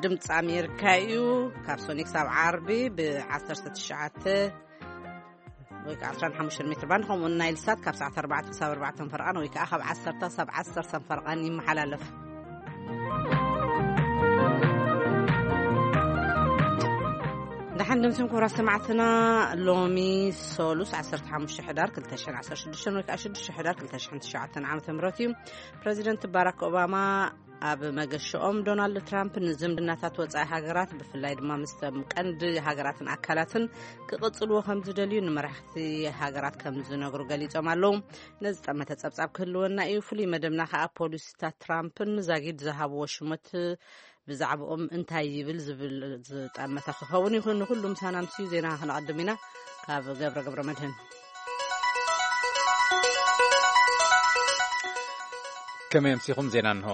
ድምፂ ኣሜሪካ እዩ። ካብ ሶኒ ክሳብ ዓርቢ ብ19 ወይ ከዓ 15 ሜትር ባንድ፣ ከምኡ እውን ናይል ሳት ካብ ሰዓት 4 ክሳብ 4 ፈርቓን ወይ ከዓ ካብ 10 ክሳብ 10 ፈርቓን ይመሓላለፍ። ደሓን ድምፅን ክቡራት ሰማዕትና፣ ሎሚ ሶሉስ 15 ሕዳር 2016 ወይ ከዓ 6 ሕዳር 2009 ዓመተ ምህረት እዩ። ፕሬዚደንት ባራክ ኦባማ ኣብ መገሻኦም፣ ዶናልድ ትራምፕ ንዝምድናታት ወጻኢ ሃገራት፣ ብፍላይ ድማ ምስተም ቀንዲ ሃገራትን ኣካላትን ክቕጽልዎ ከም ዝደልዩ ንመራሕቲ ሃገራት ከም ዝነግሩ ገሊጾም ኣለዉ። ነዚ ጠመተ ጸብጻብ ክህልወና እዩ። ፍሉይ መደብና ከኣ ፖሊሲታት ትራምፕን ዛጊድ ዝሃብዎ ሽመት ብዛዕባኦም እንታይ ይብል ዝብል ዝጠመተ ክኸውን ይኹን። ንኹሉ ምሳና ምስዩ ዜና ክነቐድም ኢና። ካብ ገብረ ገብረ መድህን። ከመይ ኣምሲኹም? ዜና እንሆ።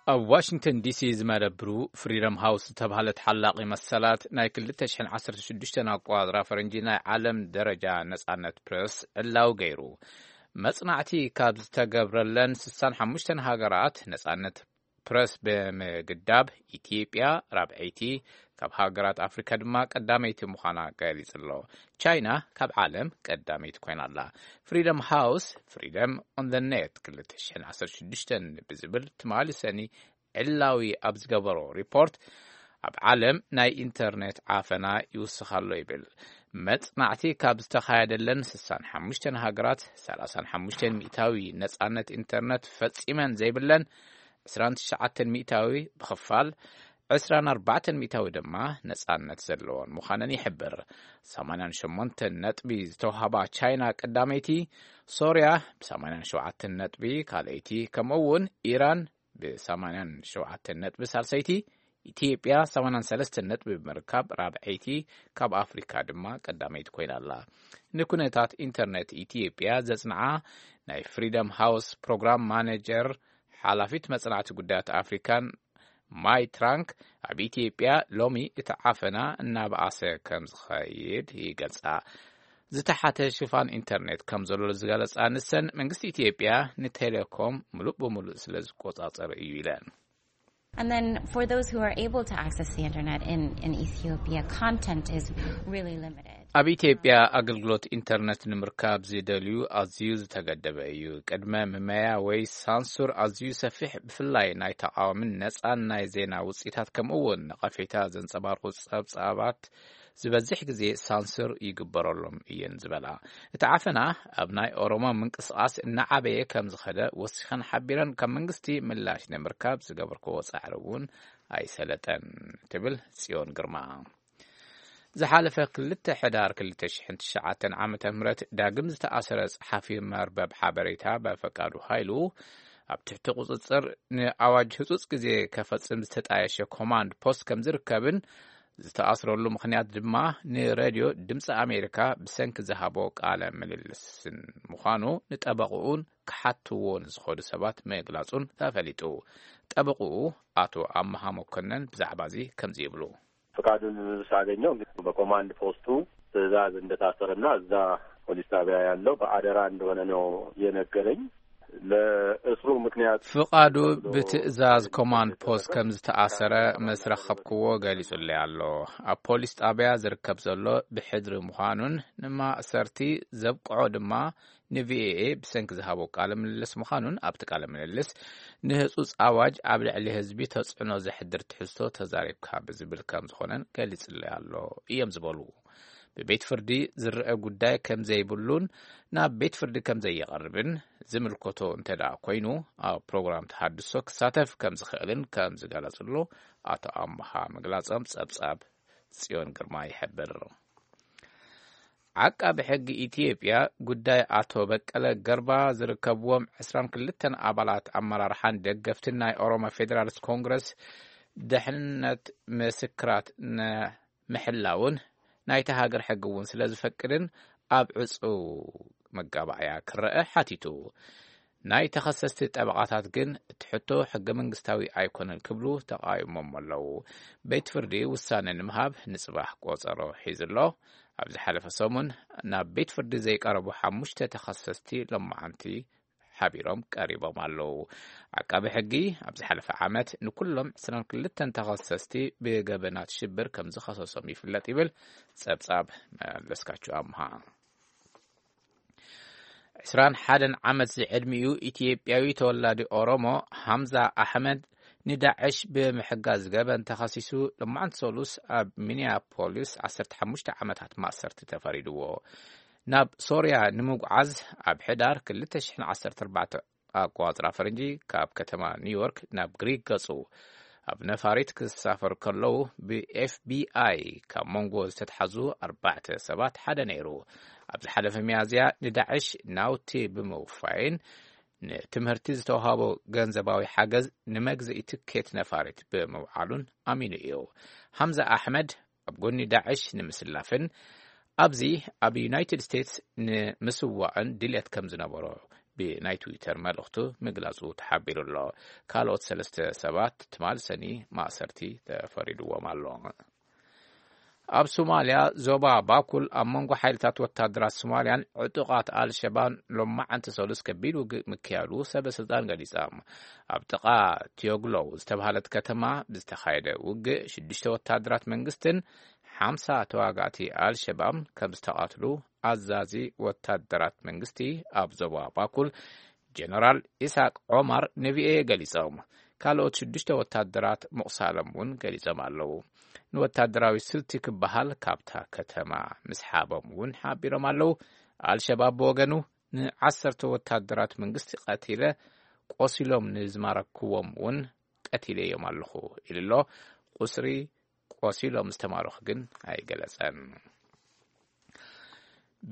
ኣብ ዋሽንግተን ዲሲ ዝመደብሩ ፍሪደም ሃውስ ዝተባህለ ተሓላቒ መሰላት ናይ 2016 ኣቋጽራ ፈረንጂ ናይ ዓለም ደረጃ ነጻነት ፕረስ ዕላዊ ገይሩ። መጽናዕቲ ካብ ዝተገብረለን 65 ሃገራት ነጻነት ፕረስ ብምግዳብ፣ ኢትዮጵያ ራብዐይቲ፣ ካብ ሃገራት ኣፍሪካ ድማ ቀዳመይቲ ምዃና ገሊጹ ኣሎ። ቻይና ካብ ዓለም ቀዳመይቲ ኮይና ኣላ። ፍሪደም ሃውስ፣ ፍሪደም ኦን ዘ ኔት 2016 ብዝብል ትማሊ ሰኒ ዕላዊ ኣብ ዝገበሮ ሪፖርት፣ ኣብ ዓለም ናይ ኢንተርኔት ዓፈና ይውስኽ ኣሎ ይብል። መጽናዕቲ ካብ ዝተኻየደለን 65 ሃገራት 35 ሚእታዊ ነጻነት ኢንተርኔት ፈጺመን ዘይብለን፣ 29 ሚእታዊ ብኽፋል፣ 24 ሚእታዊ ድማ ነጻነት ዘለዎን ምዃነን ይሕብር። 88 ነጥቢ ዝተዋህባ ቻይና ቀዳመይቲ፣ ሶርያ ብ87 ነጥቢ ካልኣይቲ፣ ከምኡ እውን ኢራን ብ87 ነጥቢ ሳልሰይቲ፣ ኢትዮጵያ 83 ነጥቢ ብምርካብ ራብዐይቲ፣ ካብ ኣፍሪካ ድማ ቀዳመይቲ ኮይና ኣላ። ንኩነታት ኢንተርኔት ኢትዮጵያ ዘጽንዓ ናይ ፍሪደም ሃውስ ፕሮግራም ማኔጀር፣ ሓላፊት መጽናዕቲ ጉዳያት ኣፍሪካን ማይ ትራንክ፣ ኣብ ኢትዮጵያ ሎሚ እቲ ዓፈና እናበኣሰ ከም ዝኸይድ ይገልጻ። ዝተሓተ ሽፋን ኢንተርኔት ከም ዘሎ ዝገለጻ ንሰን፣ መንግስቲ ኢትዮጵያ ንቴሌኮም ምሉእ ብምሉእ ስለ ዝቆጻጸር እዩ ኢለን። And then for those who are able to access the internet in, in Ethiopia, content is really limited. ኣብ ኢትዮጵያ ኣገልግሎት ኢንተርኔት ንምርካብ ዝደልዩ ኣዝዩ ዝተገደበ እዩ። ቅድመ ምመያ ወይ ሳንሱር ኣዝዩ ሰፊሕ፣ ብፍላይ ናይ ተቃዋምን ነጻን ናይ ዜና ውጽኢታት፣ ከምኡ እውን ነቐፌታ ዘንጸባርቑ ጸብጻባት ዝበዝሕ ግዜ ሳንሱር ይግበረሎም እየን ዝበላ። እቲ ዓፈና ኣብ ናይ ኦሮሞ ምንቅስቃስ እናዓበየ ከም ዝኸደ ወሲኸን ሓቢረን፣ ካብ መንግስቲ ምላሽ ንምርካብ ዝገበርክዎ ጻዕሪ እውን ኣይሰለጠን ትብል ጽዮን ግርማ። ዝሓለፈ 2 ሕዳር 2009 ዓመተ ምህረት ዳግም ዝተኣሰረ ጸሓፊ መርበብ ሓበሬታ በፈቃዱ ሃይሉ ኣብ ትሕቲ ቁጽጽር ንኣዋጅ ህጹጽ ግዜ ከፈጽም ዝተጣየሸ ኮማንድ ፖስት ከም ዝርከብን፣ ዝተኣስረሉ ምኽንያት ድማ ንሬድዮ ድምፂ ኣሜሪካ ብሰንኪ ዝሃቦ ቃለ ምልልስን ምዃኑ ንጠበቕኡን ክሓትዎ ንዝኸዱ ሰባት ምግላጹን ተፈሊጡ። ጠበቕኡ ኣቶ ኣመሃ መኮነን ብዛዕባ እዚ ከምዚ ይብሉ። ፍቃዱን ሳገኘው እንግዲህ በኮማንድ ፖስቱ ትዕዛዝ እንደታሰረና እዛ ፖሊስ ጣቢያ ያለው በአደራ እንደሆነ ነው የነገረኝ። ለእስሩ ምክንያት ፍቃዱ ብትእዛዝ ኮማንድ ፖስት ከም ዝተኣሰረ ምስ ረኸብክዎ ገሊጹለይ ኣሎ። ኣብ ፖሊስ ጣብያ ዝርከብ ዘሎ ብሕድሪ ምዃኑን ንማእሰርቲ ዘብቅዖ ድማ ንቪኦኤ ብሰንኪ ዝሃቦ ቃለ ምልልስ ምዃኑን፣ ኣብቲ ቃለ ምልልስ ንህጹጽ ኣዋጅ ኣብ ልዕሊ ህዝቢ ተጽዕኖ ዘሕድር ትሕዝቶ ተዛሪብካ ብዝብል ከም ዝኾነን ገሊጹለይ ኣሎ እዮም ዝበሉ። ብቤት ፍርዲ ዝረአ ጉዳይ ከም ዘይብሉን ናብ ቤት ፍርዲ ከም ዘይቐርብን ዝምልከቶ እንተ ደኣ ኮይኑ፣ ኣብ ፕሮግራም ተሃድሶ ክሳተፍ ከም ዝኽእልን ከም ዝገለጽሉ ኣቶ ኣምሃ ምግላጾም ጸብጻብ ጽዮን ግርማ ይሕብር። ዓቃቢ ሕጊ ኢትዮጵያ ጉዳይ ኣቶ በቀለ ገርባ ዝርከብዎም 22 ኣባላት ኣመራርሓን ደገፍትን ናይ ኦሮሞ ፌዴራሊስት ኮንግረስ ድሕንነት ምስክራት ንምሕላውን ናይታ ሃገር ሕጊ እውን ስለ ዝፈቅድን ኣብ ዕጹው መጋባእያ ክረአ ሓቲቱ። ናይ ተኸሰስቲ ጠበቓታት ግን እቲ ሕቶ ሕገ መንግስታዊ ኣይኮነን ክብሉ ተቓዊሞም ኣለዉ። ቤት ፍርዲ ውሳነ ንምሃብ ንጽባሕ ቆጸሮ ሒዙ ኣሎ። ኣብ ዝሓለፈ ሰሙን ናብ ቤት ፍርዲ ዘይቀረቡ ሓሙሽተ ተኸሰስቲ ሎማዓንቲ ሓቢሮም ቀሪቦም ኣለዉ። ዓቃቢ ሕጊ ኣብ ዝሓለፈ ዓመት ንኩሎም ዕስራን ክልተን ተኸሰስቲ ብገበናት ሽብር ከም ዝኸሰሶም ይፍለጥ ይብል ጸብጻብ መለስካቸው ኣምሃ። ዕስራን ሓደን ዓመት ዝዕድሚኡ ኢትዮጵያዊ ተወላዲ ኦሮሞ ሃምዛ ኣሕመድ ንዳዕሽ ብምሕጋዝ ገበን ተኸሲሱ፣ ሎማዕንቲ ሰሉስ ኣብ ሚኒያፖሊስ ዓሰርተ ሓሙሽተ ዓመታት ማእሰርቲ ተፈሪድዎ። ናብ ሶርያ ንምጉዓዝ ኣብ ሕዳር ክልተ ሽሕን ዓሰርተ ኣርባዕተ ኣቆጻጽራ ፈረንጂ ካብ ከተማ ኒውዮርክ ናብ ግሪክ ገጹ ኣብ ነፋሪት ክሳፈሩ ከለዉ፣ ብኤፍቢኣይ ካብ መንጎ ዝተትሓዙ ኣርባዕተ ሰባት ሓደ ነይሩ። ኣብ ዝሓለፈ ሚያዝያ ንዳዕሽ ናውቲ ብምውፋይን ንትምህርቲ ዝተዋህቦ ገንዘባዊ ሓገዝ ንመግዝኢ ትኬት ነፋሪት ብምውዓሉን ኣሚኑ እዩ። ሃምዛ ኣሕመድ ኣብ ጎኒ ዳዕሽ ንምስላፍን ኣብዚ ኣብ ዩናይትድ ስቴትስ ንምስዋእን ድልየት ከም ዝነበሮ ብናይ ትዊተር መልእኽቱ ምግላጹ ተሓቢሩ ኣሎ። ካልኦት ሰለስተ ሰባት ትማል ሰኒ ማእሰርቲ ተፈሪድዎም ኣሎ። ኣብ ሶማልያ ዞባ ባኩል ኣብ መንጎ ሓይልታት ወታደራት ሶማልያን ዕጡቓት ኣልሸባን ሎማዓንቲ ሰሉስ ከቢድ ውግእ ምክያዱ ሰበ ስልጣን ገሊጾም። ኣብ ጥቓ ቲዮግሎው ዝተባህለት ከተማ ብዝተኻየደ ውግእ ሽዱሽተ ወታደራት መንግስትን ሓምሳ ተዋጋእቲ ኣልሸባብ ከም ዝተቓትሉ ኣዛዚ ወታደራት መንግስቲ ኣብ ዞባ ባኩል ጀነራል ኢሳቅ ዖማር ንቪኦኤ ገሊጾም። ካልኦት ሽዱሽተ ወታደራት ምቑሳሎም እውን ገሊጾም ኣለዉ። ንወታደራዊ ስልቲ ክበሃል ካብታ ከተማ ምስሓቦም እውን ሓቢሮም ኣለዉ። ኣልሸባብ ብወገኑ ንዓሰርተ ወታደራት መንግስቲ ቀቲለ፣ ቆሲሎም ንዝማረክዎም እውን ቀቲለዮም ኣለኹ ኢሉ ኣሎ። ቁስሪ ቆሲሎም ዝተማረኹ ግን ኣይገለጸን።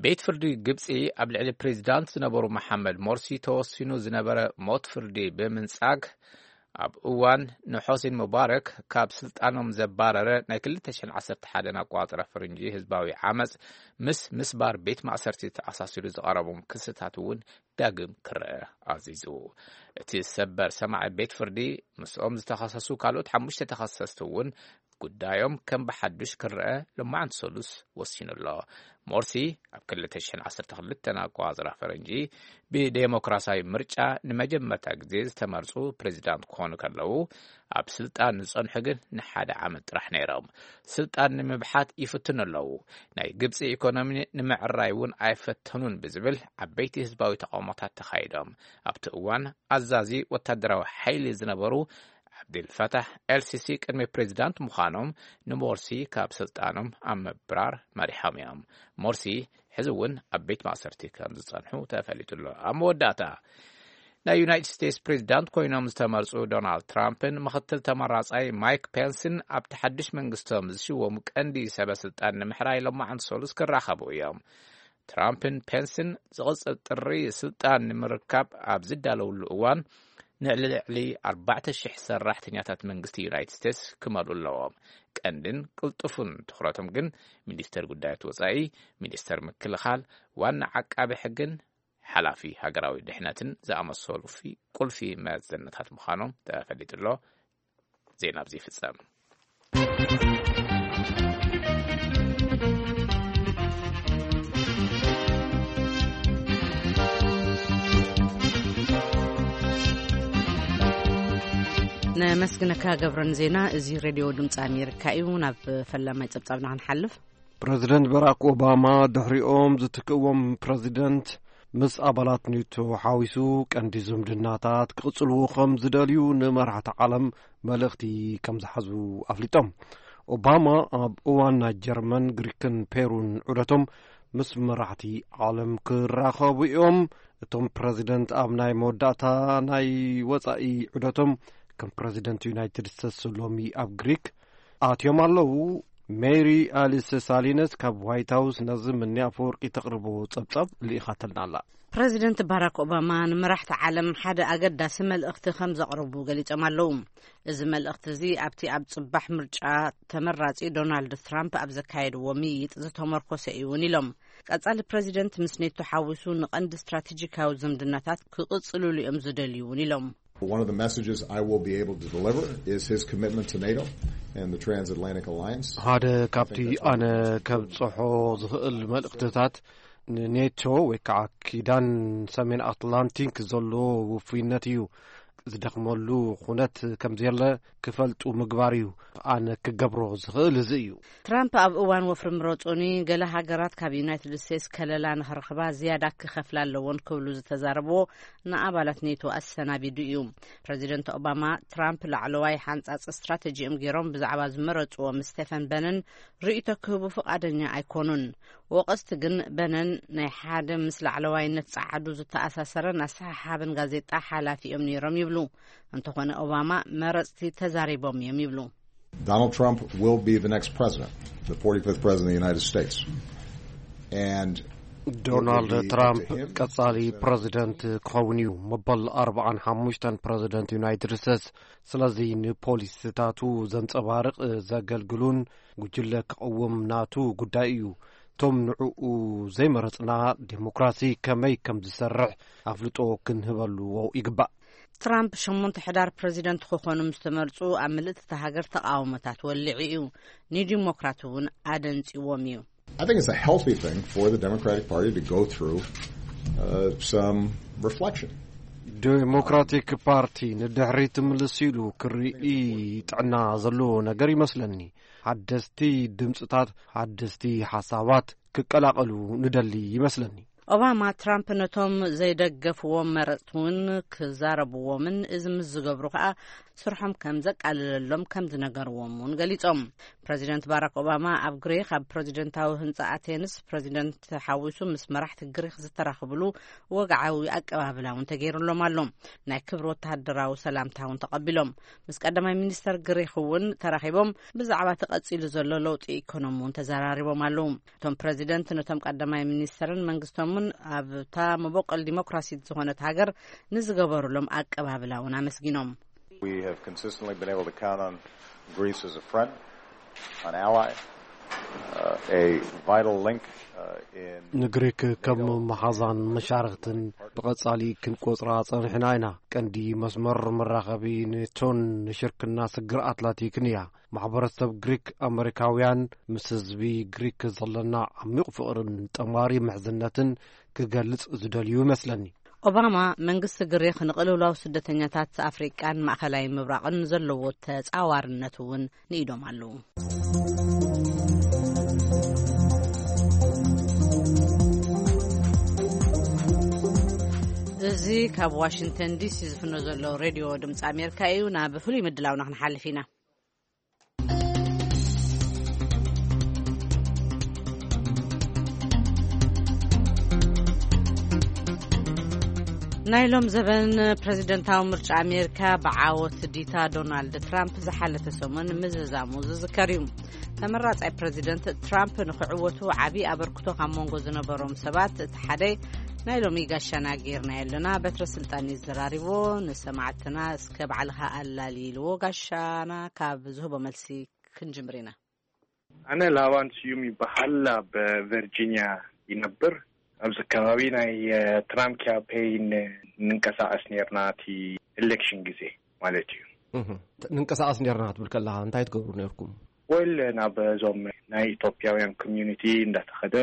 ቤት ፍርዲ ግብጺ ኣብ ልዕሊ ፕሬዚዳንት ዝነበሩ መሓመድ ሞርሲ ተወሲኑ ዝነበረ ሞት ፍርዲ ብምንጻግ፣ ኣብ እዋን ንሖሴን ሙባረክ ካብ ስልጣኖም ዘባረረ ናይ ክልተ ሽሕን ዓሰርተ ሓደን ኣቆጻጽራ ፈረንጂ ህዝባዊ ዓመጽ ምስ ምስባር ቤት ማእሰርቲ ተኣሳሲሩ ዝቐረቦም ክስታት እውን ዳግም ክረአ ኣዚዙ። እቲ ሰበር ሰማዒ ቤት ፍርዲ ምስኦም ዝተኸሰሱ ካልኦት ሓሙሽተ ተኸሰስቲ እውን ጉዳዮም ከም ብሓዱሽ ክረአ ሎማዓንቲ ሰሉስ ወሲኑ ኣሎ። ሞርሲ ኣብ ክልተ ሽሕን ዓሰርተ ክልተን ኣቆጻጽራ ፈረንጂ ብዴሞክራሲያዊ ምርጫ ንመጀመርታ ግዜ ዝተመርጹ ፕሬዚዳንት ክኾኑ ከለዉ፣ ኣብ ስልጣን ዝጸንሑ ግን ንሓደ ዓመት ጥራሕ ነይሮም። ስልጣን ንምብሓት ይፍትኑ ኣለዉ። ናይ ግብጺ ኢኮኖሚ ንምዕራይ እውን ኣይፈተኑን ብዝብል ዓበይቲ ህዝባዊ ተቃውሞታት ተኻይዶም። ኣብቲ እዋን ኣዛዚ ወታደራዊ ሓይሊ ዝነበሩ ዓብዲልፈታሕ ኤልሲሲ ቅድሚ ፕሬዚዳንት ምዃኖም ንሞርሲ ካብ ስልጣኖም ኣብ ምብራር መሪሖም እዮም። ሞርሲ ሕዚ እውን ኣብ ቤት ማእሰርቲ ከም ዝጸንሑ ተፈሊጡ ኣሎ። ኣብ መወዳእታ ናይ ዩናይትድ ስቴትስ ፕሬዚዳንት ኮይኖም ዝተመርጹ ዶናልድ ትራምፕን ምኽትል ተመራጻይ ማይክ ፔንስን ኣብቲ ሓድሽ መንግስቶም ዝሽወሙ ቀንዲ ሰበ ስልጣን ንምሕራይ ሎማዓንቲ ሰሉስ ክራኸቡ እዮም። ትራምፕን ፔንስን ዝቕጽል ጥሪ ስልጣን ንምርካብ ኣብ ዝዳለውሉ እዋን ንልዕሊ ኣርባዕተ ሽሕ ሰራሕተኛታት መንግስቲ ዩናይትድ ስቴትስ ክመልኡ ኣለዎም። ቀንድን ቅልጡፉን ትኹረቶም ግን ሚኒስተር ጉዳያት ወጻኢ፣ ሚኒስተር ምክልኻል፣ ዋና ዓቃቢ ሕግን ሓላፊ ሃገራዊ ድሕነትን ዝኣመሰሉ ፊ-፣ ቁልፊ መዘነታት ምዃኖም ተፈሊጡ ኣሎ። ዜና ኣብዚ ይፍጸም። ነመስግነካ ገብረን ዜና። እዚ ሬድዮ ድምፂ ኣሜሪካ እዩ። ናብ ፈላማይ ፀብፃብና ክንሓልፍ። ፕረዚደንት በራክ ኦባማ ድሕሪኦም ዝትክእዎም ፕረዚደንት ምስ ኣባላት ኔቶ ሓዊሱ ቀንዲ ዝምድናታት ክቕጽልዎ ከም ዝደልዩ ንመራሕቲ ዓለም መልእኽቲ ከም ዝሓዙ ኣፍሊጦም። ኦባማ ኣብ እዋን ናይ ጀርመን፣ ግሪክን ፔሩን ዑደቶም ምስ መራሕቲ ዓለም ክራኸቡ እዮም። እቶም ፕረዚደንት ኣብ ናይ መወዳእታ ናይ ወጻኢ ዑደቶም ከም ፕረዚደንት ዩናይትድ ስቴትስ ሎሚ ኣብ ግሪክ ኣትዮም ኣለዉ። ሜሪ ኣሊስ ሳሊነስ ካብ ዋይት ሃውስ ነዚ ምኒ ኣፈወርቂ ተቕርቦ ጸብጻብ ልኢኻተልና ኣላ። ፕረዚደንት ባራክ ኦባማ ንመራሕቲ ዓለም ሓደ ኣገዳሲ መልእኽቲ ከም ዘቕረቡ ገሊጾም ኣለዉ። እዚ መልእኽቲ እዚ ኣብቲ ኣብ ጽባሕ ምርጫ ተመራጺ ዶናልድ ትራምፕ ኣብ ዘካየድዎ ምይይጥ ዝተመርኮሰ እዩ እውን ኢሎም። ቀጻሊ ፕረዚደንት ምስ ኔቶ ሓዊሱ ንቐንዲ ስትራቴጂካዊ ዝምድናታት ክቕጽልሉ እዮም ዝደልዩ እውን ኢሎም። One of the messages I will be able to deliver is his commitment to NATO and the Transatlantic Alliance. ሓደ ካብቲ ኣነ ከብጽሖ ዝኽእል መልእኽትታት ንኔቶ ወይ ከዓ ኪዳን ሰሜን ኣትላንቲክ ዘሎ ውፉይነት እዩ። ዝደኽመሉ ኩነት ከም ዘየለ ክፈልጡ ምግባር እዩ። ኣነ ክገብሮ ዝኽእል እዚ እዩ። ትራምፕ ኣብ እዋን ወፍሪ ምረጹኒ፣ ገለ ሃገራት ካብ ዩናይትድ ስቴትስ ከለላ ንኽረኽባ ዝያዳ ክኸፍላ ኣለዎን ክብሉ ዝተዛረብዎ ንኣባላት ኔቶ ኣሰናቢዱ እዩ። ፕረዚደንት ኦባማ ትራምፕ ላዕለዋይ ሓንጻጽ ስትራተጂኦም ገይሮም ብዛዕባ ዝመረጽዎም ስቴፈን በነን ርእይቶ ክህቡ ፍቓደኛ ኣይኮኑን። ወቐስቲ ግን በነን ናይ ሓደ ምስ ላዕለዋይነት ጸዓዱ ዝተኣሳሰረን ኣሰሓሓብን ጋዜጣ ሓላፊ እዮም ነይሮም ይብሉ። እንተኾነ ኦባማ መረጽቲ ተዛሪቦም እዮም ይብሉ። Donald Trump will be the next president, the forty-fifth president of the United States. And it will ዶናልድ be up ትራምፕ to him ቀጻሊ to ፕረዚደንት ክኸውን እዩ። መበል ኣርብዓን ሓሙሽተን ፕረዚደንት ዩናይትድ ስቴትስ። ስለዚ ንፖሊሲታቱ ዘንጸባርቕ፣ ዘገልግሉን ጉጅለ ክቐውም ናቱ ጉዳይ እዩ። እቶም ንዕኡ ዘይመረጽና ዴሞክራሲ ከመይ ከም ዝሰርሕ ኣፍልጦ ክንህበሉ ይግባእ። ትራምፕ ሸሞንተ ሕዳር ፕረዚደንት ክኾኑ ምስ ተመርጹ ኣብ ምልእቲ እታ ሃገር ተቃውሞታት ወሊዑ እዩ። ንዲሞክራት እውን ኣደንጺዎም እዩ። I think it's a healthy thing for the Democratic Party to go through uh, some reflection. ዴሞክራቲክ ፓርቲ ንድሕሪት ምልስ ኢሉ ክርኢ ጥዕና ዘለዎ ነገር ይመስለኒ። ሓደስቲ ድምፅታት፣ ሓደስቲ ሓሳባት ክቀላቐሉ ንደሊ ይመስለኒ። ኦባማ ትራምፕ ነቶም ዘይደገፍዎም መረፅቲ እውን ክዛረብዎምን እዚ ምስ ዝገብሩ ከዓ ስርሖም ከም ዘቃልለሎም ከም ዝነገርዎም እውን ገሊፆም። ፕረዚደንት ባራክ ኦባማ ኣብ ግሪክ ኣብ ፕረዚደንታዊ ህንፃ ኣቴንስ ፕረዚደንት ሓዊሱ ምስ መራሕቲ ግሪክ ዝተራኽብሉ ወግዓዊ ኣቀባብላ እውን ተገይሩሎም ኣሎ። ናይ ክብሪ ወተሃደራዊ ሰላምታ እውን ተቐቢሎም። ምስ ቀዳማይ ሚኒስተር ግሪክ እውን ተራኺቦም ብዛዕባ ተቐፂሉ ዘሎ ለውጢ ኢኮኖሚ እውን ተዘራሪቦም ኣለዉ። እቶም ፕረዚደንት ነቶም ቀዳማይ ሚኒስተርን መንግስቶምን ኣብታ መቦቆል ዲሞክራሲት ዝኾነት ሃገር ንዝገበሩሎም ኣቀባብላ እውን ኣመስጊኖም። We have consistently been able to count on Greece as a friend, an ally, uh, a vital link uh, in ንግሪክ ከም መሓዛን መሻርክትን ብቐጻሊ ክንቆጽራ ጸኒሕና ኢና። ቀንዲ መስመር መራኸቢ ኔቶን ንሽርክና ስግር ኣትላንቲክን እያ። ማሕበረሰብ ግሪክ ኣመሪካውያን፣ ምስ ህዝቢ ግሪክ ዘለና ዓሚቕ ፍቕርን ጠማሪ ምሕዝነትን ክገልጽ ዝደልዩ ይመስለኒ። ኦባማ መንግስቲ ግሪክ ንቅልውላው ስደተኛታት ኣፍሪቃን ማእኸላይ ምብራቕን ዘለዎ ተጻዋርነት እውን ንኢዶም ኣለዉ። እዚ ካብ ዋሽንግተን ዲሲ ዝፍኖ ዘሎ ሬድዮ ድምፂ ኣሜሪካ እዩ። ናብ ፍሉይ ምድላውና ክንሓልፍ ኢና። ናይ ሎም ዘበን ፕረዚደንታዊ ምርጫ ኣሜሪካ ብዓወት ዲታ ዶናልድ ትራምፕ ዝሓለፈ ሰሙን ምዝዛሙ ዝዝከር እዩ። ተመራጻይ ፕረዚደንት ትራምፕ ንክዕወቱ ዓቢ ኣበርክቶ ካብ መንጎ ዝነበሮም ሰባት እቲ ሓደ ናይ ሎሚ ጋሻና ጌርና ኣለና በትረ ስልጣን እዩ ዘራሪቦ። ንሰማዕትና እስከ ባዕልኻ ኣላሊ ኢልዎ ጋሻና ካብ ዝህቦ መልሲ ክንጅምር ኢና። ኣነ ላባን ስዩም ይበሃል። ኣብ ቨርጂኒያ ይነብር። ኣብዚ ከባቢ ናይ ትራምፕ ካምፔይን ንንቀሳቀስ ነርና፣ እቲ ኤሌክሽን ግዜ ማለት እዩ። ንንቀሳቀስ ነርና ክትብል ከለካ እንታይ ትገብሩ ነርኩም? ወል ናብ እዞም ናይ ኢትዮጵያውያን ኮሚዩኒቲ እንዳተኸደ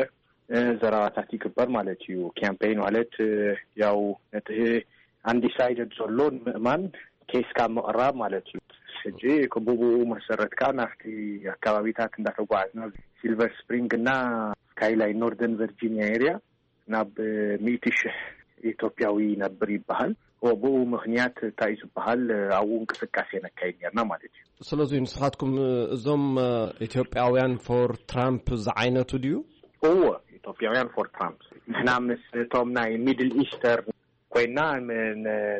ዘረባታት ይግበር ማለት እዩ። ካምፔይን ማለት ያው ነቲ ኣንዲሳይደድ ዘሎ ንምእማን ኬስካ ምቕራብ ማለት እዩ። ሕጂ ብብኡ መሰረት ከዓ ናብቲ ኣከባቢታት እንዳተጓዓዝና፣ ሲልቨር ስፕሪንግ እና ስካይላይን፣ ኖርደርን ቨርጂኒያ ኤሪያ ናብ ሚእቲ ሽሕ ኢትዮጵያዊ ይነብር ይበሃል። ብኡ ምክንያት እንታይ እዩ ዝበሃል ኣብኡ እንቅስቃሴ ነካይድ ነርና ማለት እዩ። ስለዚ ንስኻትኩም እዞም ኢትዮጵያውያን ፎር ትራምፕ ዝዓይነቱ ድዩ? እዎ፣ ኢትዮጵያውያን ፎር ትራምፕ ንሕና ምስ እቶም ናይ ሚድል ኢስተርን ኮይና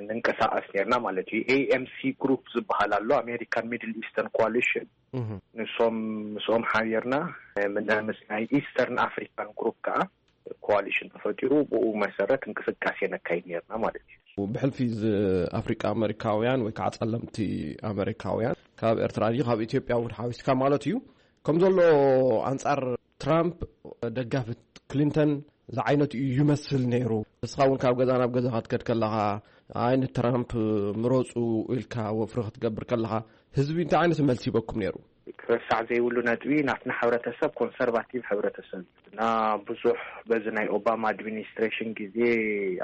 ንንቀሳቀስ ነርና ማለት እዩ። ኤኤምሲ ግሩፕ ዝበሃል ኣሎ፣ ኣሜሪካን ሚድል ኢስተርን ኮሊሽን። ንሶም ምስኦም ሓቢርና ምስ ናይ ኢስተርን ኣፍሪካን ግሩፕ ከዓ ኮሊሽን ተፈጢሩ፣ ብኡ መሰረት እንቅስቃሴ ነካይድ ነርና ማለት እዩ። ብሕልፊ ኣፍሪቃ ኣመሪካውያን ወይ ከዓ ጸለምቲ ኣመሪካውያን ካብ ኤርትራ ድዩ ካብ ኢትዮጵያ እውን ሓዊስካ ማለት እዩ። ከም ዘሎ ኣንጻር ትራምፕ ደጋፊ ክሊንተን ዝዓይነቱ እዩ ይመስል ነይሩ። ንስኻ እውን ካብ ገዛ ናብ ገዛ ክትከድ ከለኻ ኣይ ንትራምፕ ምረፁ ኢልካ ወፍሪ ክትገብር ከለኻ ህዝቢ እንታይ ዓይነት መልሲ ይበኩም ነይሩ? ክረሳዕ ዘይብሉ ነጥቢ፣ ናትና ሕብረተሰብ ኮንሰርቫቲቭ ሕብረተሰብ እዩ። እና ብዙሕ በዚ ናይ ኦባማ ኣድሚኒስትሬሽን ግዜ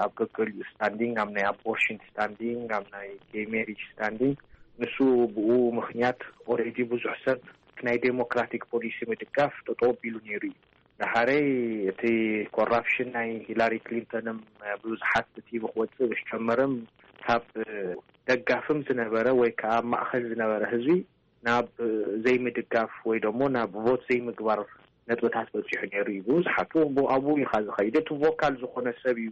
ኣብ ገገሊኡ ስታንዲንግ፣ ኣብ ናይ ኣቦርሽን ስታንዲንግ፣ ኣብ ናይ ጌይ ሜሪጅ ስታንዲንግ፣ ንሱ ብኡ ምኽንያት ኦልሬዲ ብዙሕ ሰብ ናይ ዴሞክራቲክ ፖሊሲ ምድጋፍ ጠጠው ኣቢሉ ነይሩ እዩ። ደሓረይ እቲ ኮራፕሽን ናይ ሂላሪ ክሊንተንም ብብዙሓት ቲቪ ክወፅእ ምስ ጀመረም፣ ካብ ደጋፍም ዝነበረ ወይ ከዓ ኣብ ማእኸል ዝነበረ ህዝቢ ናብ ዘይምድጋፍ ወይ ደሞ ናብ ቮት ዘይምግባር ነጥብታት በፂሑ ነይሩ እዩ። ብዙሓቱ ብኡ ኣብኡ ኢኻ ዝኸይድ። እቲ ቮካል ዝኾነ ሰብ እዩ።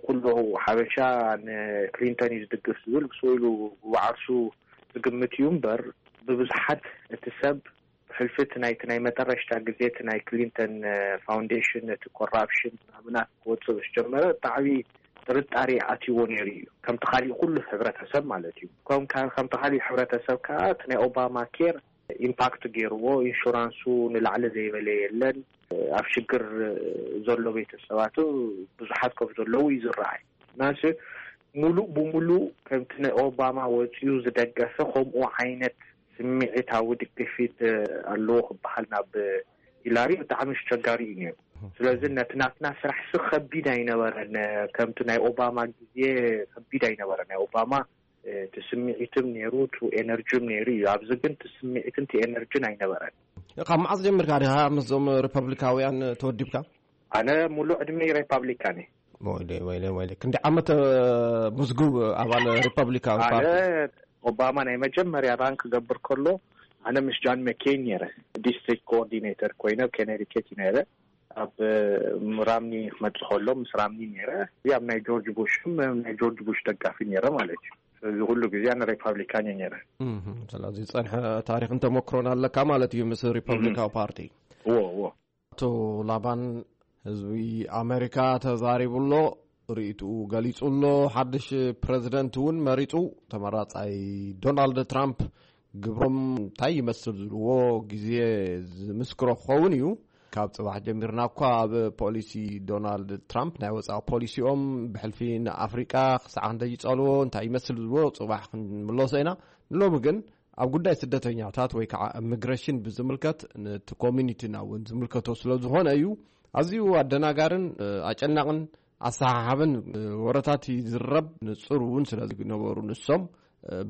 ኩሉ ሓበሻ ንክሊንተን እዩ ዝድግፍ ዝብል ብስኢሉ ብዓርሱ ዝግምት እዩ እምበር፣ ብብዙሓት እቲ ሰብ ብሕልፊ እቲ ናይቲ ናይ መጠረሽታ ግዜ እቲ ናይ ክሊንተን ፋውንዴሽን፣ እቲ ኮራፕሽን ናብናት ክወፅእ ምስ ጀመረ ብጣዕሚ ጥርጣሬ ኣትይዎ ነይሩ እዩ፣ ከምቲ ካሊእ ኩሉ ሕብረተሰብ ማለት እዩ። ከም- ከምቲ ካሊእ ሕብረተሰብ ከዓ እቲ ናይ ኦባማ ኬር ኢምፓክት ገይርዎ፣ ኢንሹራንሱ ንላዕሊ ዘይበለ የለን። ኣብ ሽግር ዘሎ ቤተሰባቱ ብዙሓት ከም ዘለዉ እዩ ዝረኣይ። ናስ ሙሉእ ብሙሉእ ከምቲ ናይ ኦባማ ወፂኡ ዝደገፈ ከምኡ ዓይነት ስምዒታዊ ድግፊት ኣለዎ ክበሃል ናብ ሂላሪ ብጣዕሚ ኣስቸጋሪ እዩ ነይሩ። ስለዚ ነቲ ናትና ስራሕ ስ ከቢድ ኣይነበረን፣ ከምቲ ናይ ኦባማ ግዜ ከቢድ ኣይነበረን። ናይ ኦባማ እቲ ስምዒትም ነይሩ፣ እቲ ኤነርጂም ነይሩ እዩ። ኣብዚ ግን እቲ ስምዒትን እቲ ኤነርጂን ኣይነበረን። ካብ መዓዝ ጀሚርካ ዲኻ ምስዞም ሪፐብሊካውያን ተወዲብካ? ኣነ ሙሉእ ዕድመይ ሪፓብሊካን እየ። ወይለ ወይለ ወይለ፣ ክንዲ ዓመት ምዝጉብ ኣባል ሪፐብሊካዊ ኣነ ፓርቲ። ኦባማ ናይ መጀመርያ ራን ክገብር ከሎ ኣነ ምስ ጃን መኬን ነይረ፣ ዲስትሪክት ኮኦርዲኔተር ኮይነ ኣብ ኮነቲከት ነይረ። ኣብ ራምኒ ክመጽእ ከሎ ምስ ራምኒ ነይረ። ኣብ ናይ ጆርጅ ቡሽ ናይ ጆርጅ ቡሽ ደጋፊ ነይረ ማለት እዩ። ስለዚ ኩሉ ግዜ ኣነ ሪፓብሊካን እየ ነይረ። እህ፣ ስለዚ ዝጸንሐ ታሪኽን ተመክሮን ኣለካ ማለት እዩ ምስ ሪፐብሊካዊ ፓርቲ። እዎ እዎ። ኣቶ ላባን፣ ህዝቢ ኣሜሪካ ተዛሪቡ ኣሎ፣ ርእይትኡ ገሊጹ ኣሎ። ሓድሽ ፕረዚደንት እውን መሪጹ። ተመራጻይ ዶናልድ ትራምፕ ግብሮም እንታይ ይመስል ዝብልዎ ግዜ ዝምስክሮ ክኸውን እዩ። ካብ ጽባሕ ጀሚርና እኳ ኣብ ፖሊሲ ዶናልድ ትራምፕ፣ ናይ ወጻኢ ፖሊሲኦም ብሕልፊ ንኣፍሪቃ ክሳዕ ክንደይ ይጸልዎ፣ እንታይ ይመስል ዝብልዎ ጽባሕ ክንምለሶ ኢና። ንሎሚ ግን ኣብ ጉዳይ ስደተኛታት ወይ ከዓ ኢሚግሬሽን ብዝምልከት፣ ነቲ ኮሚኒቲና እውን ዝምልከቶ ስለ ዝኾነ እዩ። ኣዝዩ ኣደናጋርን ኣጨናቕን ኣሰሓሓብን ወረታት ይዝረብ፣ ንጹር እውን ስለ ዝነበሩ ንሶም።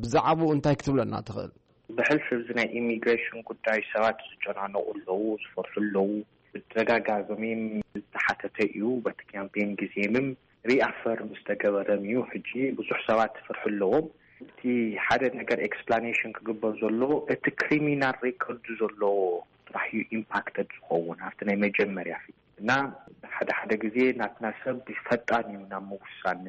ብዛዕባኡ እንታይ ክትብለና ትኽእል? ብሕልፊ እዚ ናይ ኢሚግሬሽን ጉዳይ ሰባት ዝጨናነቑ ኣለዉ፣ ዝፈርሑ ኣለዉ። ብተደጋጋሚ ዝተሓተተ እዩ። በቲ ካምፔን ግዜምም ሪኣፈርም ዝተገበረም እዩ። ሕጂ ብዙሕ ሰባት ፍርሒ ኣለዎም። እቲ ሓደ ነገር ኤክስፕላኔሽን ክግበር ዘሎ፣ እቲ ክሪሚናል ሬኮርድ ዘለዎ ጥራሕ እዩ ኢምፓክተድ ዝኸውን ኣብቲ ናይ መጀመርያ ፊልም። እና ሓደ ሓደ ግዜ ናትና ሰብ ፈጣን እዩ ናብ ምውሳን፣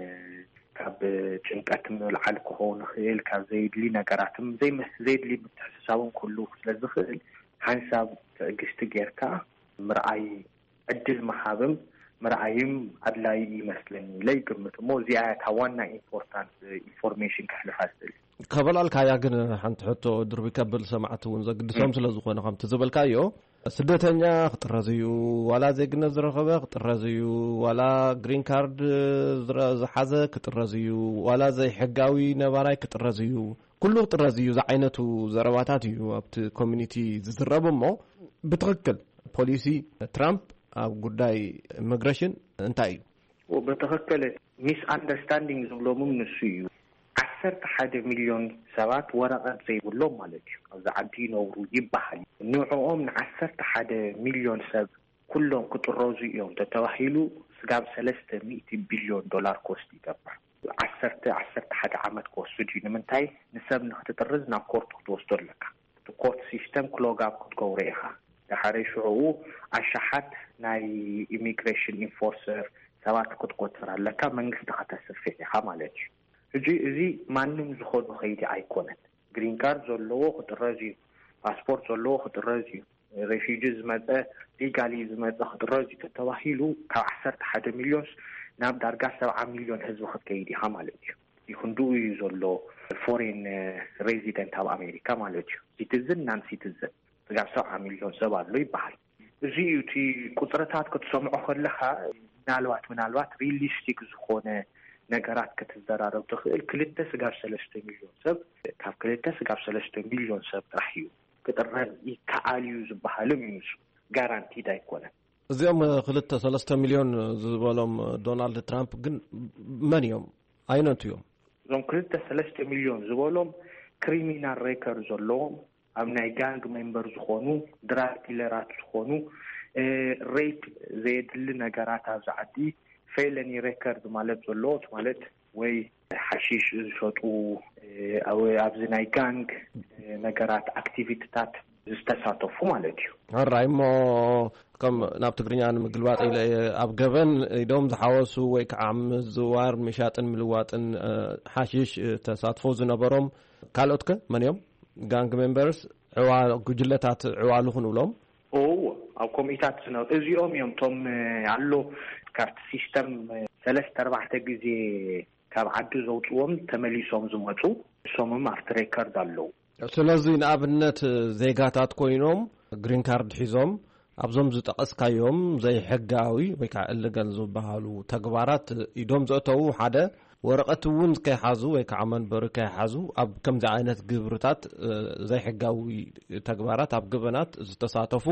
ካብ ጭንቀት ምልዓል ክኸውን ይኽእል፣ ካብ ዘይድሊ ነገራትም ዘይመ- ዘይድሊ ምትሕስሳብን ክህሉ ስለ ዝኽእል፣ ሓንሳብ ትዕግስቲ ጌርካ ምርኣይ፣ ዕድል ምሃብም ምርኣይም ኣድላዪ ይመስለኒ ኢለ ይግምት። እሞ እዚኣ እያ እታ ዋና ኢምፖርታንት ኢንፎርሜሽን ከሕልፋ ዝኽእል። ከበላልካያ ግን ሓንቲ ሕቶ ድርቢ ከብል ሰማዕቲ እውን ዘግድሶም ስለ ዝኾነ፣ ከምቲ ዝበልካዮ፣ ስደተኛ ክጥረዝ እዩ፣ ዋላ ዜግነት ዝረኸበ ክጥረዝ እዩ፣ ዋላ ግሪን ካርድ ዝረ- ዝሓዘ ክጥረዝ እዩ፣ ዋላ ዘይሕጋዊ ነባራይ ክጥረዝ እዩ፣ ኩሉ ክጥረዝ እዩ ዝዓይነቱ ዘረባታት እዩ ኣብቲ ኮሚኒቲ ዝዝረብ። እሞ ብትኽክል ፖሊሲ ትራምፕ ኣብ ጉዳይ ኢሚግሬሽን እንታይ እዩ? ብትኽክል ሚስ ኣንደርስታንዲንግ ዝብሎምም ንሱ እዩ። ዓሰርተ ሓደ ሚልዮን ሰባት ወረቐት ዘይብሎም ማለት እዩ፣ ኣብዚ ዓዲ ይነብሩ ይበሃል። ንዕኦም ንዓሰርተ ሓደ ሚልዮን ሰብ ኩሎም ክጥረዙ እዮም ተተባሂሉ፣ ስጋብ ሰለስተ ሚእቲ ቢልዮን ዶላር ኮስት ይገብር። ዓሰርተ ዓሰርተ ሓደ ዓመት ክወስድ እዩ። ንምንታይ? ንሰብ ንክትጥርዝ ናብ ኮርት ክትወስዶ ኣለካ። እቲ ኮርት ሲስተም ክሎግ ኣፕ ክትገብሮ ኢኻ። ድሓረይ ሽዑኡ ኣሻሓት ናይ ኢሚግሬሽን ኢንፎርሰር ሰባት ክትቆጽር ኣለካ፣ መንግስቲ ከተስርሕ ኢኻ ማለት እዩ። ሕጂ እዚ ማንም ዝኾኖ ከይዲ ኣይኮነን። ግሪን ካርድ ዘለዎ ክጥረዝ እዩ፣ ፓስፖርት ዘለዎ ክጥረዝ እዩ፣ ሬፊጂ ዝመጸ፣ ሊጋሊ ዝመጸ ክጥረዝ እዩ ተተባሂሉ፣ ካብ ዓሰርተ ሓደ ሚልዮንስ ናብ ዳርጋ ሰብዓ ሚልዮን ህዝቢ ክትከይድ ኢኻ ማለት እዩ። ይኽንድኡ እዩ ዘሎ ፎሬን ሬዚደንት ኣብ ኣሜሪካ ማለት እዩ። ሲቲዝን ናን ሲቲዝን ስጋብ ሰብዓ ሚልዮን ሰብ ኣሎ ይበሃል። እዚ እዩ እቲ ቁጽርታት ክትሰምዖ ከለኻ፣ ምናልባት ምናልባት ሪሊስቲክ ዝኾነ ነገራት ክትዘራረብ ትኽእል። ክልተ ስጋብ ሰለስተ ሚልዮን ሰብ፣ ካብ ክልተ ስጋብ ሰለስተ ሚልዮን ሰብ ጥራሕ እዩ ክጥረዝ ይከኣል እዩ ዝበሃልም እዩ። ንሱ ጋራንቲድ ኣይኮነን። እዚኦም ክልተ ሰለስተ ሚልዮን ዝበሎም ዶናልድ ትራምፕ ግን መን እዮም? ኣይነቱ እዮም? እዞም ክልተ ሰለስተ ሚልዮን ዝበሎም ክሪሚናል ሬከርድ ዘለዎም፣ ኣብ ናይ ጋንግ ሜምበር ዝኾኑ፣ ድራግ ዲለራት ዝኾኑ፣ ሬፕ፣ ዘየድሊ ነገራት ኣብዚ ዓዲ፣ ፌለኒ ሬከርድ ማለት ዘለዎ ማለት ወይ ሓሺሽ ዝሸጡ፣ ኣብ ኣብዚ ናይ ጋንግ ነገራት፣ ኣክቲቪቲታት ዝተሳተፉ ማለት እዩ። ሕራይ እሞ፣ ከም ናብ ትግርኛ ንምግልባጥ ኢለ እየ፣ ኣብ ገበን ኢዶም ዝሓወሱ ወይ ከዓ ምዝዋር፣ ምሻጥን ምልዋጥን ሓሽሽ ተሳትፎ ዝነበሮም ካልኦት ከ መን እዮም? ጋንግ ሜምበርስ፣ ዕዋ ጉጅለታት፣ ዕዋሉ ክንብሎም? እዎ፣ ኣብ ኮሚታት ዝነ- እዚኦም እዮም እቶም ኣሎ፣ ካብቲ ሲስተም ሰለስተ ኣርባዕተ ግዜ ካብ ዓዲ ዘውፅዎም ተመሊሶም ዝመፁ፣ እሶምም ኣብቲ ሬከርድ ኣለዉ። ስለዚ ንኣብነት ዜጋታት ኮይኖም ግሪን ካርድ ሒዞም ኣብዞም ዝጠቐስካዮም ዘይሕጋዊ ወይ ከዓ እልገል ዝበሃሉ ተግባራት ኢዶም ዘእተዉ፣ ሓደ ወረቐት እውን ከይሓዙ ወይ ከዓ መንበሪ ከይሓዙ ኣብ ከምዚ ዓይነት ግብርታት ዘይሕጋዊ ተግባራት ኣብ ገበናት ዝተሳተፉ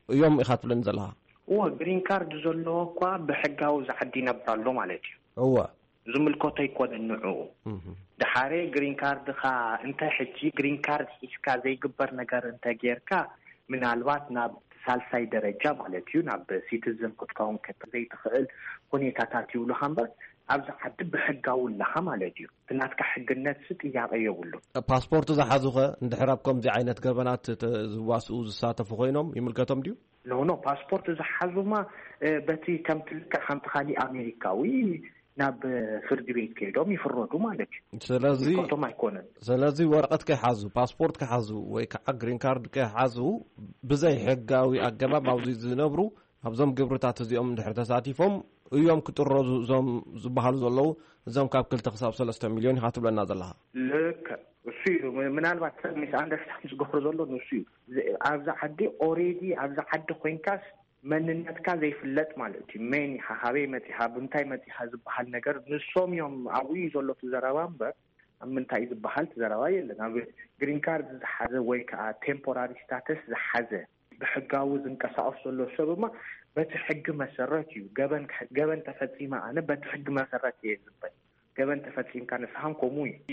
እዮም ኢኻ ትብለኒ ዘለኻ? እዎ፣ ግሪን ካርድ ዘለዎ እኳ ብሕጋዊ ዝዓዲ ይነብር ኣሎ ማለት እዩ። እወ። ዝምልከቶ ኣይኮነን ንዕኡ። ድሓረ ግሪን ካርድኻ እንተ ሕጂ ግሪን ካርድ ሒዝካ ዘይግበር ነገር እንተ ጌርካ፣ ምናልባት ናብ ሳልሳይ ደረጃ ማለት እዩ፣ ናብ ሲቲዝን ክትከውን ከተ ዘይትኽእል ሁኔታታት ይብሉኻ እምበር፣ ኣብዚ ዓዲ ብሕጋዊ ኣለኻ ማለት እዩ። እቲ ናትካ ሕግነትሲ ጥያቄ የብሉን። ፓስፖርት ዝሓዙኸ እንድሕር ኣብ ከምዚ ዓይነት ገበናት ተ- ዝዋስኡ ዝሳተፉ ኮይኖም ይምልከቶም ድዩ? ኖ ኖ፣ ፓስፖርት ዝሓዙማ በቲ ከምቲ ልክዕ ከምቲ ካሊእ ኣሜሪካዊ ናብ ፍርዲ ቤት ከይዶም ይፍረዱ ማለት እዩ። ስለዚ ዝምልከቶም ኣይኮነን። ስለዚ ወረቐት ከይሓዙ፣ ፓስፖርት ከይሓዙ ወይ ከዓ ግሪን ካርድ ከይሓዙ ብዘይ ሕጋዊ ኣገባብ ኣብዚ ዝነብሩ ኣብዞም ግብርታት እዚኦም እንድሕር ተሳቲፎም እዮም ክጥረዙ እዞም ዝበሃሉ ዘለዉ፣ እዞም ካብ ክልተ ክሳብ ሰለስተ ሚልዮን ኢኻ ትብለና ዘለኻ። ልክዕ እሱ እዩ። ምናልባት ሰብ ሚስ ኣንደርስታንድ ዝገብሮ ዘሎ ንሱ እዩ። ኣብዚ ዓዲ ኦሬዲ ኣብዚ ዓዲ ኮይንካስ መንነትካ ዘይፍለጥ ማለት እዩ። መን ኢኻ፣ ካበይ መፂኻ፣ ብምንታይ መፂኻ ዝበሃል ነገር ንሶም እዮም። ኣብኡ እዩ ዘሎ እቲ ዘረባ እምበር ኣብ ምንታይ ዝበሃል እቲ ዘረባ የለን። ኣብ ግሪን ካርድ ዝሓዘ ወይ ከዓ ቴምፖራሪ ስታተስ ዝሓዘ ብሕጋዊ ዝንቀሳቀስ ዘሎ ሰብ እማ በቲ ሕጊ መሰረት እዩ። ገበን ገበን ተፈፂመ ኣነ በቲ ሕጊ መሰረት እየ ዝበል። ገበን ተፈፂምካ ንስኻን ከምኡ እዩ። እቲ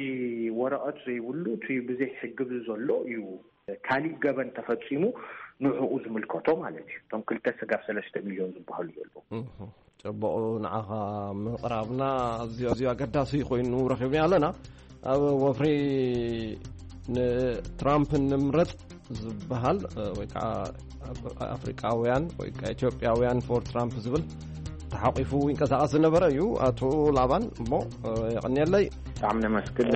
ወረቐት ዘይብሉ እቲ ብዘይ ሕጊ ዘሎ እዩ። ካሊእ ገበን ተፈፂሙ ንዕኡ ዝምልከቶ ማለት እዩ። እቶም ክልተ ስጋብ ሰለስተ ሚልዮን ዝበሃሉ ዘለዉ። ጽቡቕ፣ ንዓኻ ምቕራብና ኣዝዩ ኣዝዩ ኣገዳሲ ኮይኑ ረኺብና ኣለና። ኣብ ወፍሪ ንትራምፕ ንምረጽ ዝበሃል ወይ ከዓ ኣፍሪቃውያን ወይ ከዓ ኢትዮጵያውያን ፎር ትራምፕ ዝብል ተሓቂፉ ይንቀሳቐስ ዝነበረ እዩ ኣቶ ላባን። እሞ የቐንየለይ። ብጣዕሚ ነመስግን።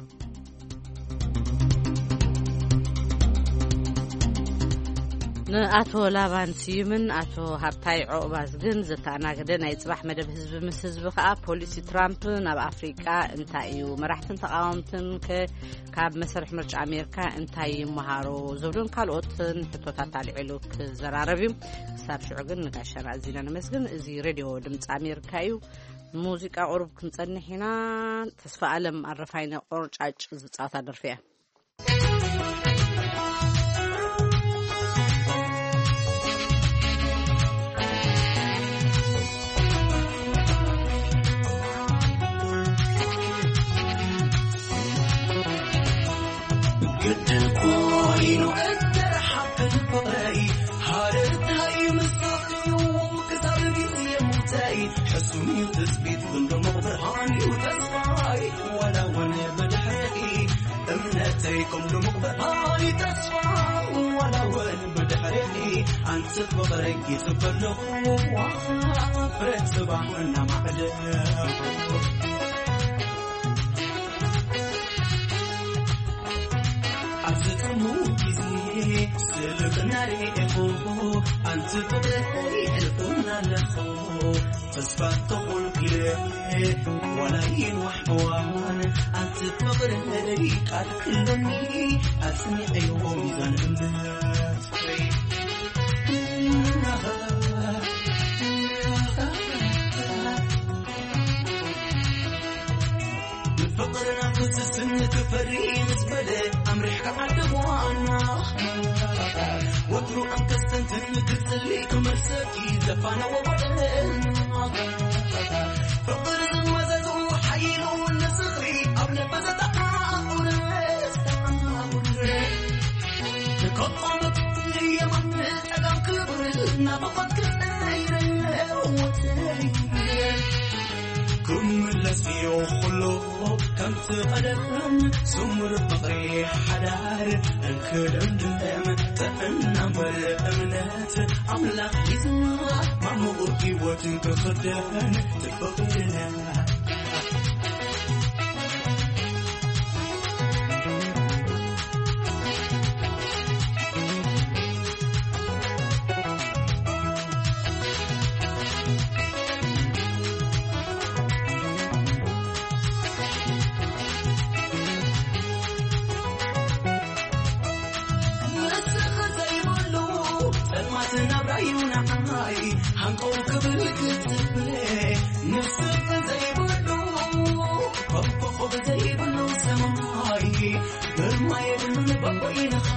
ንኣቶ ላባን ስዩምን ኣቶ ሃብታይ ዑቕባዝግን ዘተኣናገደ ናይ ጽባሕ መደብ ህዝቢ ምስ ህዝቢ ከኣ ፖሊሲ ትራምፕ ናብ ኣፍሪቃ እንታይ እዩ፣ መራሕትን ተቓወምትን ከ ካብ መሰርሕ ምርጫ ኣሜሪካ እንታይ ይመሃሮ ዝብሉን ካልኦትን ሕቶታት ኣልዒሉ ክዘራረብ እዩ። ክሳብ ሽዑ ግን ንጋሻና ኣዚና ነመስግን። እዚ ሬድዮ ድምፂ ኣሜሪካ እዩ። ሙዚቃ ቁሩብ ክንጸንሕ ኢና። ተስፋ ኣለም ኣረፋይነ ቆርጫጭ ዝጻወታ ደርፊ እያ። ግድን ኮይኑ እንተረሓብን ፍቕረይ ሃረርታይ ምሳኽዩ ክሳብ ግዜ ሙተይ ሕሱም እዩ ትጽቢት ግን ድሙቕ ብርሃን እዩ ተስፋይ ዋላ እውን ብድሕሪኺ እምነተይ ከም ድሙቕ ብርሃን እዩ ተስፋ ዋላ እውን ብድሕሪኺ ኣንቲ ፍቕረይ ይጽበ ኣለኹ ፍረ ጽባሕ እናማዕደ ኣብዚ ጥሙር ግዜ ስልኽና ርኢኹ ኣንቲ ፍቕረይ ሕልፉና ኣለኹ ተስፋ ተኾንኩ ኢለ ዋላ ይንዋሕ እዋን ኣንቲ ፍቕረይ ቃል ክለኒ ኣጽኒዐዮ ሚዛን እምነት ፍቕርና ክስስን ክፈሪ ምስ በለ ኣምሪሕካ ዓዲ ጓና ሩቕን ከስተንትን ክትጽሊ ክመልሰኪ ዘፋነዎ ወደን። ፍቕሪ ዝመዘዙ ሓይሉ ንዝኽሪ ኣብ ነፈሰታ ቁረስ። ንከቆመት የማን ጠጋም ክብር ናፍቖት ክነይረ ወተይ። ክምለስ እዮ ኩሉ ከምቲ ቀደም፣ ስሙር ፍቕሪ ሓዳር እንክደምድም፣ ጥዕና እምበር እምነት ኣምላኽ ሒዝና፣ ማሙቕ ህይወት ክኽደን ትፍቕድና። ንስኺ ዘይብሉ ጸልማት ናብራዩ ንዓይ ሃንቀው ክብል ክጽበ። ንስኺ ዘይብሉ ኮኾብ ዘይብሉ ሰማይ ግርማ የብሉን በበይንኻ።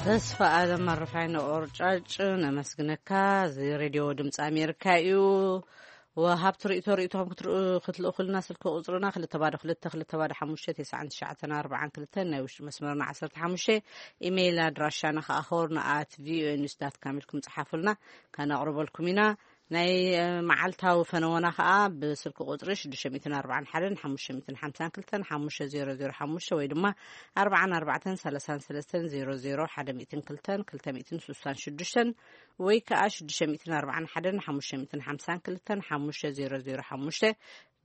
ተስፋ ኣለም ኣረፋይ ንቆርጫጭ ነመስግነካ። እዚ ሬድዮ ድምፂ ኣሜሪካ እዩ። ወሃብቲ ርእቶ ርእቶኹም ክትልእኹልና ስልኪ ቁፅርና ክልተ ባዶ ክልተ ክልተ ባዶ ሓሙሽተ ተስዓን ትሽዓተን ኣርባዓን ክልተን፣ ናይ ውሽጢ መስመርና ዓሰርተ ሓሙሽተ። ኢሜይል ኣድራሻና ከዓ ሆርን ኣት ቪኦኤ ኒውስ ዳት ካም ኢልኩም ፀሓፉልና፣ ከነቕርበልኩም ኢና። ናይ መዓልታዊ ፈነወና ከዓ ብስልኪ ቁፅሪ ሽዱሽተ ሚእትን ኣርባዓን ሓደን ሓሙሽተ ሚእትን ሓምሳን ክልተን ሓሙሽተ ዜሮ ዜሮ ሓሙሽተ ወይ ድማ ኣርባዓን ኣርባዕተን ሰላሳን ሰለስተን ዜሮ ዜሮ ሓደ ሚእትን ክልተን ክልተ ሚእትን ስሳን ሽዱሽተን ወይ ከዓ ሽዱሽተ ሚእትን ኣርባዓን ሓደን ሓሙሽተ ሚእትን ሓምሳን ክልተን ሓሙሽተ ዜሮ ዜሮ ሓሙሽተ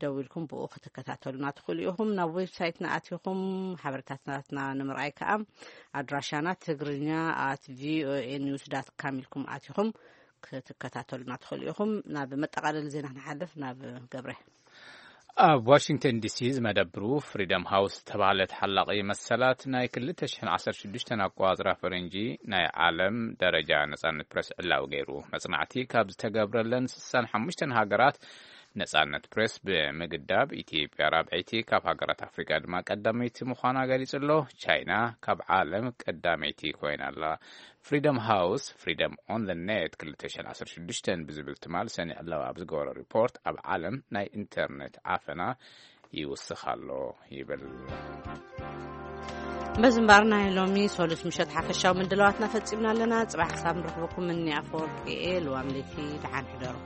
ደዊልኩም ብኡ ክትከታተሉና ትኽእሉ ኢኹም። ናብ ዌብሳይትና ኣቲኹም ሓበሬታትናትና ንምርኣይ ከዓ ኣድራሻና ትግርኛ ኣት ቪኦኤ ኒውስ ዳት ካም ኢልኩም ኣቲኹም ክትከታተሉና ትኽእሉ ኢኹም። ናብ መጠቓለሊ ዜና ክንሓልፍ ናብ ገብረ። ኣብ ዋሽንግተን ዲሲ ዝመደብሩ ፍሪደም ሃውስ ዝተባህለ ተሓላቒ መሰላት ናይ ክልተ ሽሕን ዓሰርተ ሽዱሽተን ኣቆጻጽራ ፈረንጂ ናይ ዓለም ደረጃ ነጻነት ፕረስ ዕላዊ ገይሩ። መጽናዕቲ ካብ ዝተገብረለን ስሳን ሓሙሽተን ሃገራት ነጻነት ፕሬስ ብምግዳብ ኢትዮጵያ ራብዐይቲ፣ ካብ ሃገራት ኣፍሪቃ ድማ ቀዳመይቲ ምዃና ገሊጹ ኣሎ። ቻይና ካብ ዓለም ቀዳመይቲ ኮይና ኣላ። ፍሪደም ሃውስ፣ ፍሪደም ኦን ኔት ክልተ ሽሕን ዓሰርተ ሽዱሽተን ብዝብል ትማል ሰኒ ዕላዊ ኣብ ዝገበሮ ሪፖርት፣ ኣብ ዓለም ናይ ኢንተርኔት ዓፈና ይውስኽ ኣሎ ይብል። በዚ እምበኣር ናይ ሎሚ ሰሉስ ምሸት ሓፈሻዊ ምድላዋትና ፈጺምና ኣለና። ጽባሕ ክሳብ ንረኽበኩም እኒ ኣፈወርቂ እየ። ልዋም ለይቲ ደሓን ሕደሩ።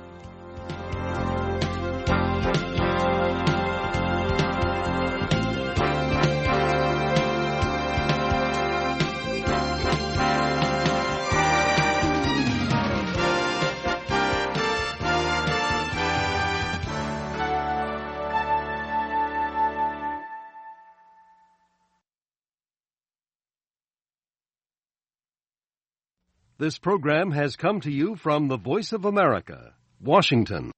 This program has come to you from the Voice of America, Washington.